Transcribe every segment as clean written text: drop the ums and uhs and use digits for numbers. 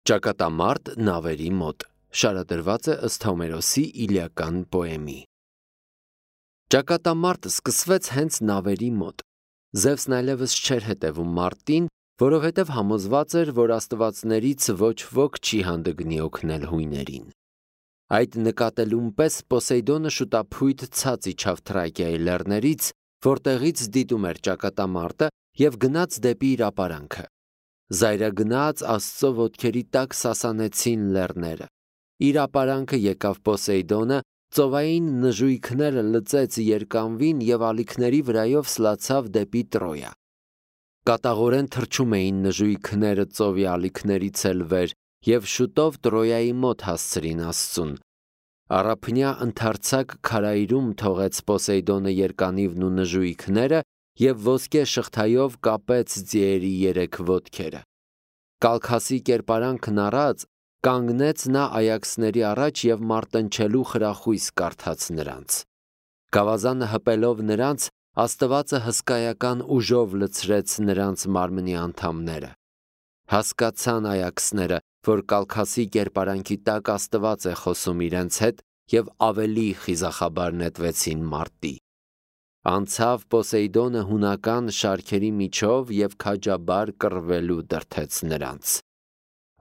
Ճակատամարտ նավերի մոտ շարադրված է ըստ Հոմերոսի իլիական պոեմի։ Ճակատամարտ սկսվեց հենց նավերի մոտ։ Զևսն այլևս չէր հետևում Մարտին, որովհետև համոզված էր, որ աստվածներից ոչ ոք չի հանդգնի օգնել հույներին։ Այդ նկատելուն պես Պոսեյդոնը շուտափույթ ցած իջավ Թրակիայի լեռներից, որտեղից դիտում էր ճակատամարտը և գնաց դեպի իր ապարանքը։ Զայրագնաց Աստծո ոտքերի տակ սասանեցին լեռները։ Իր ապարանքը եկավ Պոսեյդոնը, ծովային նժույգները լծեց երկանվին և ալիքների վրայով սլացավ դեպի Տրոյա։ Կատաղորեն թռչում էին նժույգները ծովի ալիքներից էլ վեր և շուտով Տրոյայի մոտ հասցրին Աստծուն։ Առափնյա ընդարձակ քարայրում թողեց Պոսեյդոնը երկանիվն ու նժույգները և ոսկե շղթայով կապեց ձիերի երեք ոտքերը։ Կալքասի կերպարանքն առած կանգնեց նա այաքսների առաջ և մարտնչելու խրախույս կարդաց նրանց։ Գավազանը հպելով նրանց, Աստվածը հսկայական ուժով լցրեց նրանց մարմնի անդամները։ Հասկացան այաքսները, որ կալքասի կերպարանքի տակ Աստված է խոսում իրենց հետ և ավելի խիզախաբար նետվեցին մարտի։ Անցավ Պոսեյդոնը հունական շարքերի միջով և քաջաբար կռվելու դրդեց նրանց։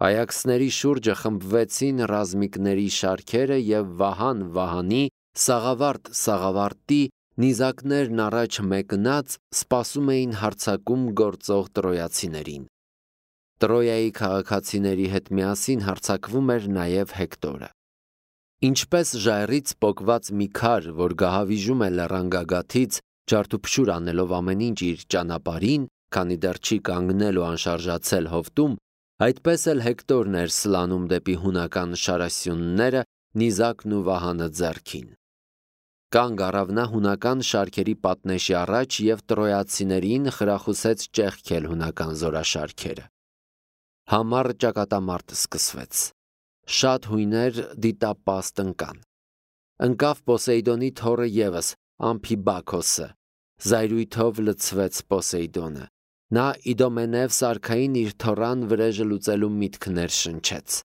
Այաքսների շուրջը խմբվեցին ռազմիկների շարքերը և վահան վահանի, սաղավարտ սաղավարտի, նիզակներն առաջ մեկնած սպասում էին հարձակում գործող տրոյացիներին։ Տրոյայի քաղաքացիների հետ միասին հարձակվում էր նաև Հեկտորը։ Ինչպես ժայռից պոկված մի քար, որ գահավիժում է լեռան գագաթից, ջարդուփշուր անելով ամեն ինչ իր ճանապարհին, քանի դեռ չի կանգնել ու անշարժացել հովտում, այդպես էլ Հեկտորն էր սլանում դեպի հունական շարասյունները, նիզակն ու վահանը ձեռքին։ Կանգ առավ նա հունական շարքերի պատնեշի առաջ և տրոյացիներին խրախուսեց ճեղքել հունական զորաշարքերը։ Համառ ճակատամարտ սկսվեց։ Շատ հույներ դիտապաստ ընկան։ Ընկավ Պոսեյդոնի թոռը ևս, Ամփիբաքոսը։ Զայրույթով լցվեց Պոսեյդոնը։ Նա Իդոմենևս արքային իր թոռան վրեժը լուծելու միտք ներշնչեց։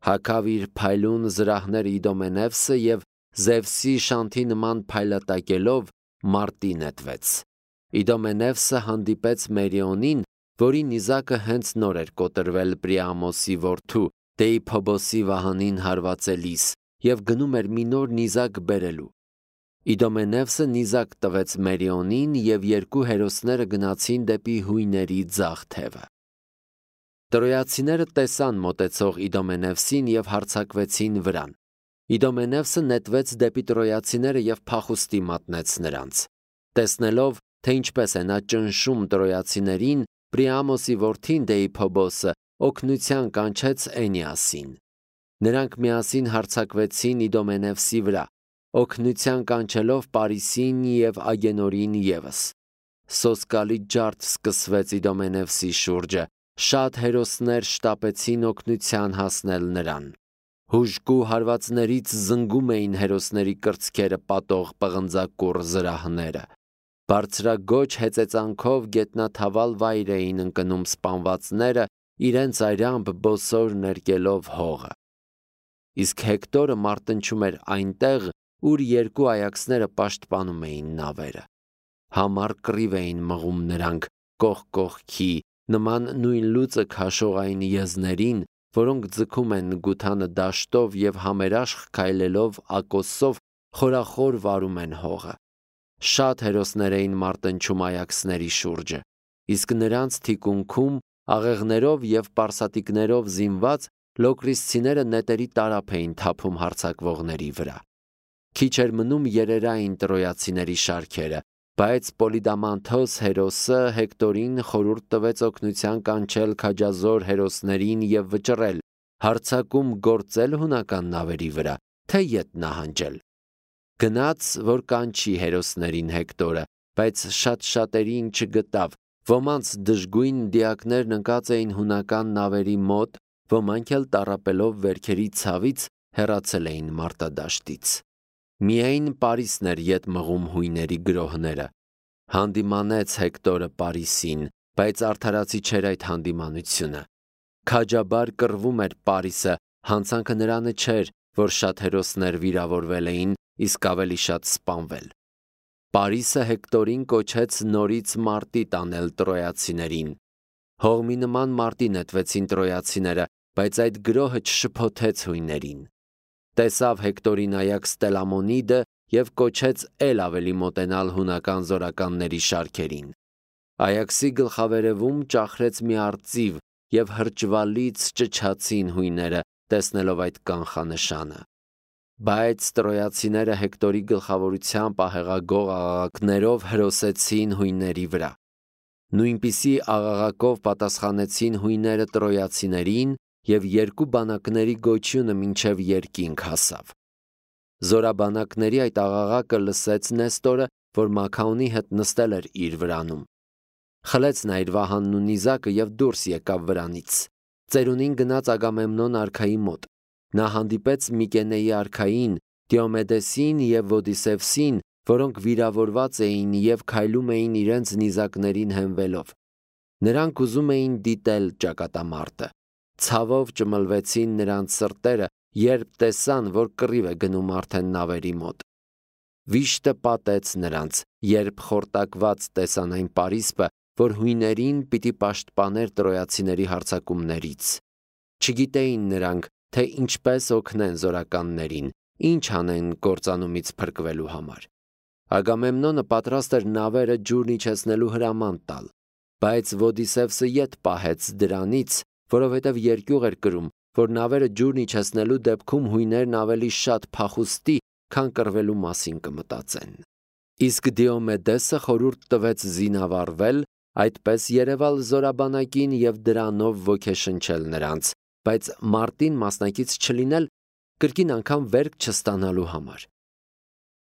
Հագավ իր փայլուն զրահները Իդոմենևսը և Զևսի շանթի նման փայլատակելով մարտի նետվեց։ Իդոմենևսը հանդիպեց Մերիոնին, որի նիզակը հենց նոր էր կոտրվել Պրիամոսի որդու Դեիփոբոսի վահանին հարվածելիս և գնում էր մի նոր նիզակ բերելու։ Իդոմենևսը նիզակ տվեց Մերիոնին և երկու հերոսները գնացին դեպի հույների ձախ թևը։ Տրոյացիները տեսան մոտեցող Իդոմենևսին և հարձակվեցին վրան։ Իդոմենևսը նետվեց դեպի տրոյացիները և փախուստի մատնեց նրանց։ Տեսնելով, թե ինչպես է նա ճնշում տրոյացիներին, Պրիամոսի որդին Դեիփոբոսը օգնության կանչեց Էնիասին։ Նրանք միասին հարձակվեցին Իդոմենևսի վրա, օգնության կանչելով Պարիսին և Ագենորին ևս։ Սոսկալի ջարդ սկսվեց Իդոմենևսի շուրջը, շատ հերոսներ շտապեցին օգնության հասնել նրան։ Հուժկու հարվածներից զնգում էին հերոսների կրծքերը պատող պղնձակուռ զրահները։ Բարձրագոչ հեծեծանքով գետնաթավալ վայր էին ընկնում սպանվածները, իրենց այրամբ բոսոր ներկելով հողը։ Իսկ Հեկտորը մարտնչում էր այնտեղ, ուր երկու այաքսները պաշտպանում էին նավերը։ Համառ կռիվ էին մղում նրանք, կողք կողքի, նման նույն լուծը քաշող այն եզներին, որոնք ձգում են գութանը դաշտով և համերաշխ քայլելով ակոսով խորախոր վարում են հողը։ Շատ հերոսներ էին մարտնչում այաքսների շուրջը, իսկ նրանց թիկունքում, աղեղներով և պարսատիկներով զինված, լոկրիսցիները նետերի տարափ էին թափում հարձակվողների վրա։ Քիչ էր մնում երերային տրոյացիների շարքերը, բայց Պոլիդամանթոս հերոսը Հեկտորին խորհուրդ տվեց օգնության կանչել քաջազոր հերոսներին և վճռել, հարձակում գործել հունական նավերի վրա, թե ետ նահանջել։ Գնաց, որ կանչի հերոսներին Հեկտորը, բայց շատ-շատերին չգտավ, ոմանց դժգույն դիակներն ընկած էին հունական նավերի մոտ, ոմանք էլ տառապելով վերքերի ցավից հեռացել էին մարտադաշտից։ Միայն Պարիսն էր ետ մղում հույների գրոհները։ Հանդիմանեց Հեկտորը Պարիսին, բայց արդարացի չէր այդ հանդիմանությունը։ Քաջաբար կռվում էր Պարիսը, հանցանքը նրանը չէր, որ շատ հերոսներ վիրավորվել էին, իսկ ավելի շատ սպանվել։ Պարիսը Հեկտորին կոչեց նորից մարտի տանել տրոյացիներին։ Հողմի նման մարտի նետվեցին տրոյացիները, բայց այդ գրոհը չշփոթեց հույներին։ Տեսավ Հեկտորին Այաքս Տելամոնիդը և կոչեց էլ ավելի մոտենալ հունական զորականների շարքերին։ Այաքսի գլխավերևում ճախրեց մի արծիվ, և հրճվալից ճչացին հույները, տեսնելով այդ կանխանշանը։ Բայց տրոյացիները Հեկտորի գլխավորությամբ ահեղագող աղաղակներով հրոսեցին հույների վրա։ Նույնպիսի աղաղակով պատասխանեցին հույները տրոյացիներին, և երկու բանակների գոչյունը մինչև երկինք հասավ։ Զորաբանակների այդ աղաղակը լսեց Նեստորը, որ Մաքաոնի հետ նստել էր իր վրանում։ Խլեց նա իր վահանն ու նիզակը և դուրս եկավ վրանից։ Ծերունին գնաց Ագամեմնոն արքայի մոտ։ Նա հանդիպեց Միկենեի արքային, Դիոմեդեսին և Ոդիսևսին, որոնք վիրավորված էին և քայլում էին իրենց նիզակներին հենվելով։ Նրանք ուզում էին դիտել ճակատամարտը։ Ցավով ճմլվեցին նրանց սրտերը, երբ տեսան, որ կռիվ է գնում արդեն նավերի մոտ։ Վիշտը պատեց նրանց, երբ խորտակված տեսան այն պարիսպը, որ հույներին պիտի պաշտպաներ տրոյացիների հարձակումներից։ Չգիտեին նրանք, թե ինչպես օգնեն զորականներին, ինչ անեն կործանումից փրկվելու համար։ Ագամեմնոնը պատրաստ էր նավերը ջուրն իջեցնելու հրաման տալ, բայց Ոդիսևսը ետ պահեց դրանից, որովհետև երկյուղ էր կրում, որ նավերը ջուրն իջեցնելու դեպքում հույներն ավելի շատ փախուստի, քան կռվելու մասին կմտածեն։ Իսկ Դիոմեդեսը խորհուրդ տվեց զինավառվել, այդպես երևալ զորաբանակին և դրանով ոգեշնչել նրանց, բայց մարտին մասնակից չլինել, կրկին անգամ վերք չստանալու համար։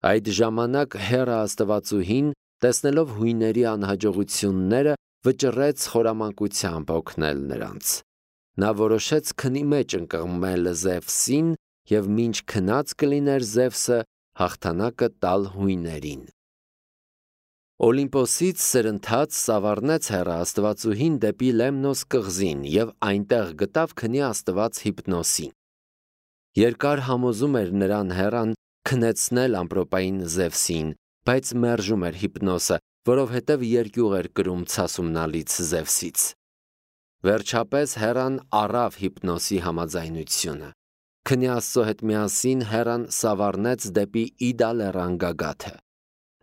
Այդ ժամանակ Հեռա աստվածուհին, տեսնելով հույների անհաջողությունները, վճռեց խորամանկությամբ օգնել նրանց։ Նա որոշեց քնի մեջ ընկղմել Զևսին և մինչ քնած կլիներ Զևսը հաղթանակը տալ հույներին։ Օլիմպոսից սրընթաց սավառնեց Հեռա աստվածուհին դեպի Լեմնոս կղզին և այնտեղ գտավ քնի աստված Հիպնոսին։ Երկար համոզում էր նրան Հեռան քնեցնել ամպրոպային Զևսին, բայց մերժում էր Հիպնոսը, որովհետև երկյուղ էր կրում ցասումնալից Զևսից։ Վերջապես Հեռան առավ Հիպնոսի համաձայնությունը։ Քնի աստծո հետ միասին Հեռան սավառնեց դեպի Իդա լեռան գագաթը։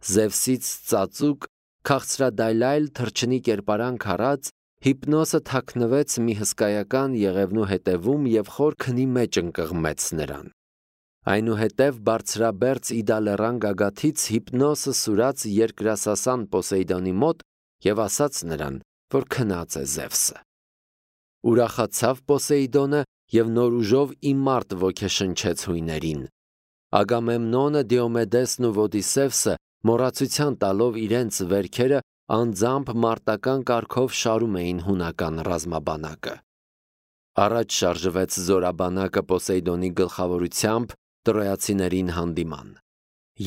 Զևսից ծածուկ, քաղցրադայլայլ թռչնի կերպարանք առած, Հիպնոսը թաքնվեց մի հսկայական եղևնու հետևում և խոր քնի մեջ ընկղմեց նրան։ Այնուհետև բարձրաբերձ Իդա լեռան գագաթից Հիպնոսը սուրաց երկրասասան Պոսեյդոնի մոտ և ասաց նրան, որ քնած է Զևսը։ Ուրախացավ Պոսեյդոնը և նոր ուժով իմարտ ոգեշնչեց հույներին։ Ագամեմնոնը, Դիոմեդեսն ու Ոդիսևսը մոռացության տալով իրենց վերքերը անձամբ մարտական կարգով շարում էին հունական ռազմաբանակը։ Առաջ շարժվեց զորաբանակը Պոսեյդոնի գլխավորությամբ տրոյացիներին հանդիման։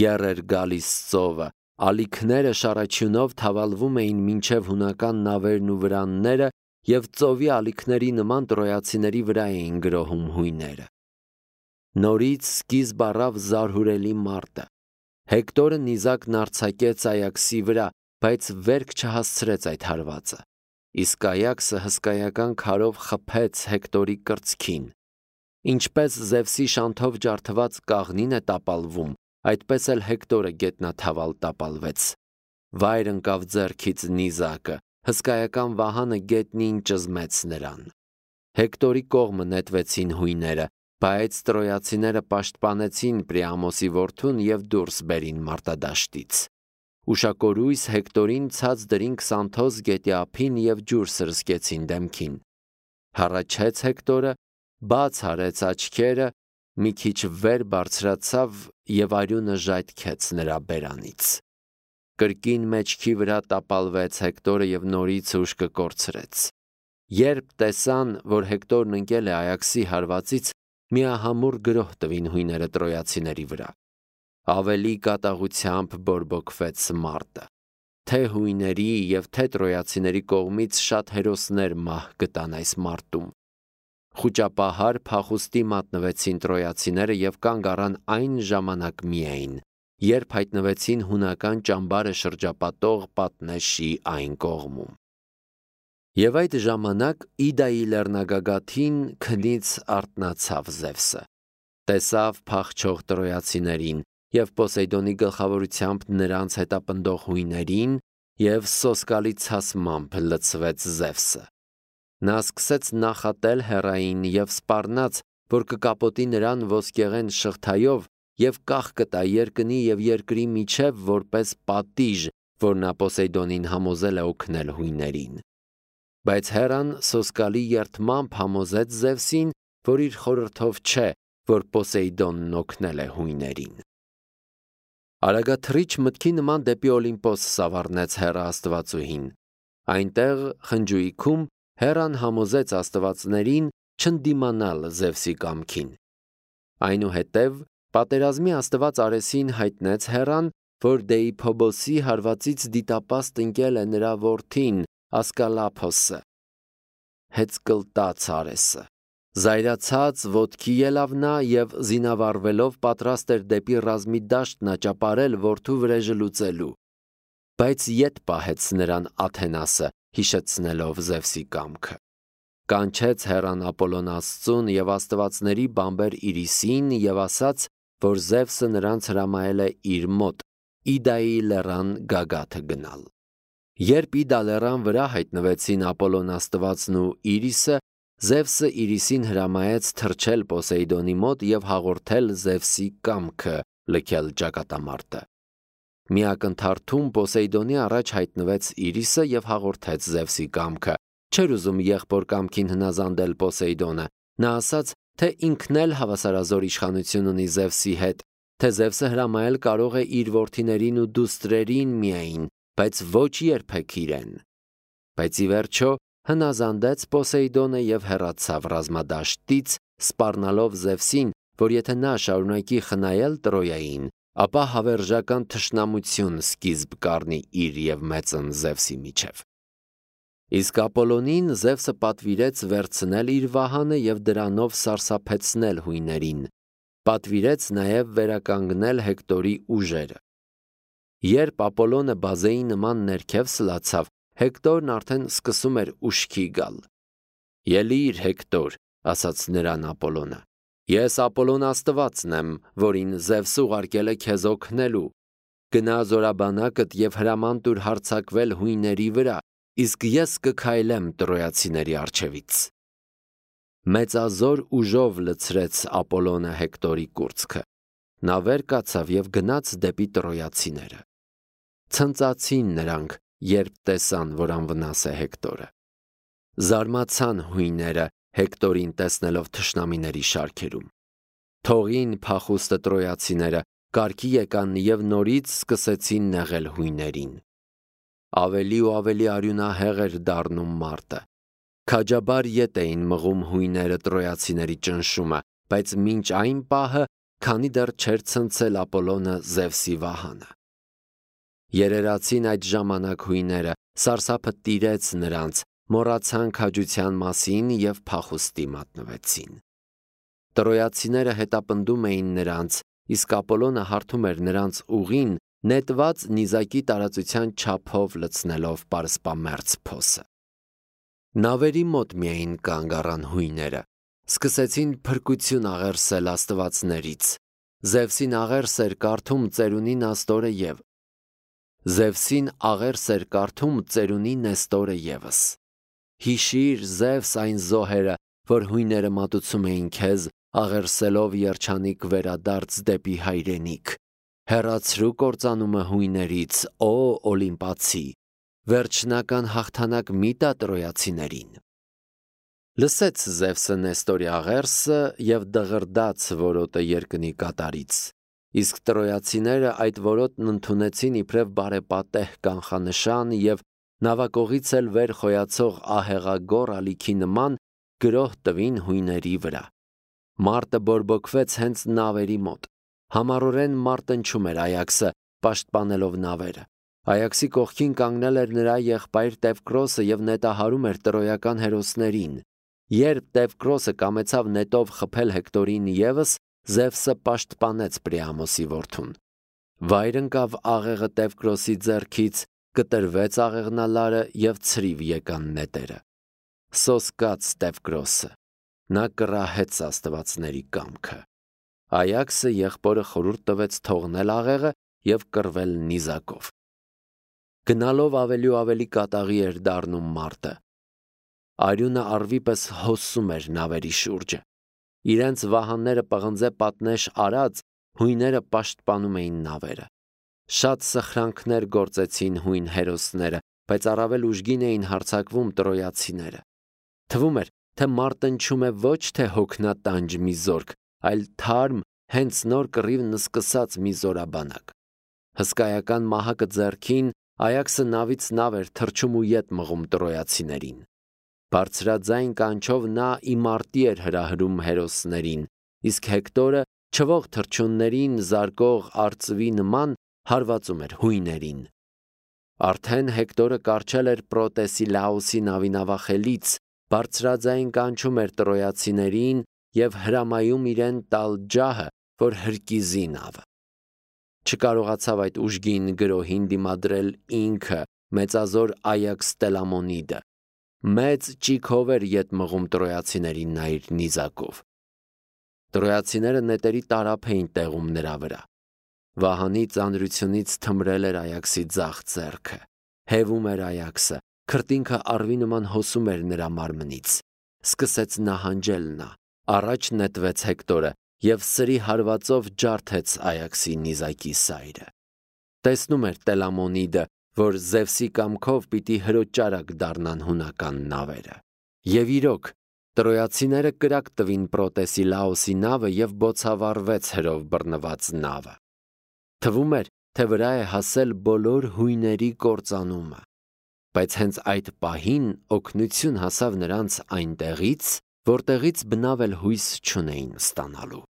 Եռ էր գալիս ծովը, ալիքները շառաչյունով թավալվում էին մինչև հունական նավերն ու վրանները և ծովի ալիքների նման տրոյացիների վրա էին գրոհում հույները։ Նորից սկիզբ առավ զարհուրելի մարտը։ Հեկտորը նիզակն արձակեց Այաքսի վրա, բայց վերք չհասցրեց այդ հարվածը։ Իսկ Այաքսը հսկայական քարով խփեց Հեկտորի կրծքին։ Ինչպես Զևսի շանթով ջարդված կաղնին է տապալվում, այդպես էլ Հեկտորը գետնաթավալ տապալվեց։ Վայր ընկավ ձեռքից նիզակը, հսկայական վահանը գետնին ճզմեց նրան։ Հեկտորի կողմը նետվեցին հույները, բայց տրոյացիները պաշտպանեցին Պրիամոսի որդուն և դուրս բերին մարտադաշտից։ Ուշակորույս Հեկտորին ցած դրին Քսանթոս գետի ափին և ջուր սրսկեցին դեմքին։ Հառաչեց Հեկտորը, բաց արեց աչքերը, մի քիչ վեր բարձրացավ և արյունը ժայթքեց նրա բերանից։ Կրկին մեջքի վրա տապալվեց Հեկտորը և նորից ուշքը կորցրեց։ Երբ տեսան, որ Հեկտորն ընկել է Այաքսի հարվածից, միահամուռ գրոհ տվին հույները տրոյացիների վրա։ Ավելի կատաղությամբ բորբոքվեց մարտը։ Թե հույների և թե տրոյացիների կողմից շատ հերոսներ մահ գտան այս մարտում։ Խուճապահար փախուստի մատնվեցին տրոյացիները և կանգ առան այն ժամանակ միայն, երբ հայտնվեցին հունական ճամբարը շրջապատող պատնեշի այն կողմում։ Եվ այդ ժամանակ Իդայի լեռնագագաթին քնից արթնացավ Զևսը, տեսավ փախչող տրոյացիներին և Պոսեյդոնի գլխավորությամբ նրանց հետապնդող հույներին և սոսկալի ցասմամբ լցվեց Զևսը։ Նա սկսեց նախատել հեռային և սպառնաց, որ կկապոտի նրան ոսկեղեն շղթայով և կախ կտա երկնի և երկրի միջև որպես պատիժ, որ նա Պոսեյդոնին համոզել է օգնել հույներին։ Բայց Հեռան սոսկալի երդմամբ համոզեց Զևսին, որ իր խորհրդով չէ, որ Պոսեյդոնն օգնել է հույներին։ Արագաթռիչ մտքի նման դեպի Օլիմպոս սավառնեց Հեռա աստվածուհին։ Այնտեղ խնջույքում Հեռան համոզեց աստվածներին չընդդիմանալ Զևսի կամքին։ Այնուհետև պատերազմի աստված Արեսին հայտնեց Հեռան, որ Դեիփոբոսի հարվածից դիտապաստ ընկել է նրա որդին Ասկալափոսը։ Հեծկլտաց Արեսը։ Զայրացած ոտքի ելավ նա և զինավառվելով պատրաստ էր դեպի ռազմի դաշտն աճապարել որդու վրեժը լուծելու։ Բայց ետ պահեց նրան Աթենասը, հիշեցնելով Զևսի կամքը։ Կանչեց Հեռան Ապոլոն աստծուն և աստվածների բամբեր Իրիսին և ասաց, որ Զևսը նրանց հրամայել է իր մոտ Իդայի լեռան գագաթը գնալ։ Երբ Իդա լեռան վրա հայտնվեցին Ապոլոն աստվածն ու Իրիսը, Զևսը Իրիսին հրամայեց թռչել Պոսեյդոնի մոտ և հաղորդել Զևսի կամքը լքել ճակատամարտը։ Մի ակնթարթում Պոսեյդոնի առաջ հայտնվեց Իրիսը և հաղորդեց Զևսի կամքը։ Չէր ուզում եղբոր կամքին հնազանդել Պոսեյդոնը։ Նա ասաց, թե ինքն էլ հավասարազոր իշխանություն ունի Զևսի հետ, թե Զևսը հրամայել կարող է իր որդիներին ու դուստրերին միայն, բայց ոչ երբեք իրեն։ Բայց ի վերջո հնազանդեց Պոսեյդոնը և հեռացավ ռազմադաշտից, սպառնալով Զևսին, որ եթե նա շարունակի խնայել Տրոյային, ապա հավերժական թշնամություն սկիզբ կառնի իր և մեծն Զևսի միջև։ Իսկ Ապոլոնին Զևսը պատվիրեց վերցնել իր վահանը և դրանով սարսափեցնել հույներին։ Պատվիրեց նաև վերականգնել Հեկտորի ուժերը։ Երբ Ապոլոնը բազեի նման ներքև սլացավ, Հեկտորն արդեն սկսում էր ուշքի գալ։ «Ելիր, Հեկտոր», ասաց նրան Ապոլոնը։ «Ես Ապոլոն աստվածն եմ, որին Զևսը ուղարկել է քեզ օգնելու։ Գնա զորաբանակդ և հրաման տուր հարձակվել հույների վրա, իսկ ես կքայլեմ տրոյացիների առջևից»։ Մեծազոր ուժով լցրեց Ապոլոնը Հեկտորի կուրծքը։ Նա վեր կացավ և գնաց դեպի տրոյացիները։ Ցնծացին նրանք, երբ տեսան, որ անվնաս է Հեկտորը։ Զարմացան հույները Հեկտորին տեսնելով թշնամիների շարքերում։ Թողին փախուստը տրոյացիները, կարգի եկան և նորից սկսեցին նեղել հույներին։ Ավելի ու ավելի արյունահեղ էր դառնում մարտը։ Քաջաբար ետ էին մղում հույները տրոյացիների ճնշումը, բայց մինչ այն պահը, քանի դեռ չէր ցնցել Ապոլոնը Զևսի վահանը։ Երերացին այդ ժամանակ հույները, սարսափը տիրեց նրանց, մոռացան քաջության մասին և փախուստի մատնվեցին։ Տրոյացիները հետապնդում էին նրանց, իսկ Ապոլոնը հարթում էր նրանց ուղին, նետված նիզակի տարածության չափով լցնելով պարսպամերձ փոսը։ Նավերի մոտ միայն կանգ առան հույները, սկսեցին փրկություն աղերսել աստվածներից։ Զևսին աղերս էր կարդում ծերունի Նեստորը ևս։ Հիշիր, Զևս, այն զոհերը, որ հույները մատուցում էին քեզ, աղերսելով երջանիկ վերադարձ դեպի հայրենիք։ Հեռացրու կործանումը հույներից, օ Օլիմպացի, վերջնական հաղթանակ մի տա տրոյացիներին։ Լսեց Զևսը Նեստորի աղերսը և դղրդաց որոտը երկնի կատարից։ Իսկ տրոյացիները այդ որոտն ընդունեցին իբրև բարեպատեհ կանխանշան և նավակողից էլ վեր խոյացող ահեղագոռ ալիքի նման գրոհ տվին հույների վրա։ Մարտը բորբոքվեց հենց նավերի մոտ։ Համառորեն մարտնչում էր Այաքսը, պաշտպանելով նավերը։ Այաքսի կողքին կանգնել էր նրա եղբայր Տևկրոսը և նետահարում էր տրոյական հերոսներին։ Երբ Տևկրոսը կամեցավ նետով խփել Հեկտորին ևս, Զևսը պաշտպանեց Պրիամոսի որդուն։ Վայր ընկավ աղեղը Տևկրոսի ձեռքից, կտրվեց աղեղնալարը և ցրիվ եկան նետերը։ Սոսկաց Տևկրոսը, նա կռահեց աստվածների կամքը։ Այաքսը եղբորը խորհուրդ տվեց թողնել աղեղը և կռվել նիզակով։ Գնալով ավելի ու ավելի կատաղի էր դառնում մարտը։ Արյունը առվի պես հոսում էր նավերի շուրջը։ Իրենց վահանները պղնձե պատնեշ արած, հույները պաշտպանում էին նավերը։ Շատ սխրանքներ գործեցին հույն հերոսները, բայց առավել ուժգին էին հարձակվում տրոյացիները։ Թվում էր, թե մարտնչում է ոչ թե հոգնատանջ մի զորք, այլ թարմ, հենց նոր կռիվն սկսած մի զորաբանակ։ Հսկայական մահակը ձեռքին, Այաքսը նավից նավ էր թռչում ու ետ մղում տրոյացիներին։ Բարձրաձայն կանչով նա իմարտի էր հրահրում հերոսներին, իսկ Հեկտորը չվող թռչուններին զարկող արծվի նման հարվածում էր հույներին։ Արդեն Հեկտորը կառչել էր Պրոտեսիլաոսի նավի նավախելից, բարձրաձայն կանչում էր տրոյացիներին և հրամայում իրեն տալ ջահը, որ հրկիզի նավը։ Չկարողացավ այդ ուժգին գրոհին դիմադրել ինքը, մեծազոր Այաքս Տելամոնիդը։ Մեծ ճիգով էր ետ մղում տրոյացիներին նա իր նիզակով։ Տրոյացիները նետերի տարափ էին տեղում նրա վրա։ Վահանի ծանրությունից թմրել էր Այաքսի ձախ ձեռքը։ Հևում էր Այաքսը, քրտինքը առվի նման հոսում էր նրա մարմնից։ Սկսեց նահանջել նա։ Առաջ նետվեց Հեկտորը և սրի հարվածով ջարդեց Այաքսի նիզակի սայրը։ Տեսնում էր Տելամոնիդը, որ Զևսի կամքով պիտի հրոճարակ դառնան հունական նավերը։ Եվ իրոք, տրոյացիները կրակ տվին Պրոտեսիլաոսի նավը և բոցավառվեց հրով բռնված նավը։ Թվում էր, թե վրա է հասել բոլոր հույների կործանումը։ Բայց հենց այդ պահին օգնություն հասավ նրանց այնտեղից, որտեղից բնավ էլ հույս չունեին ստանալու։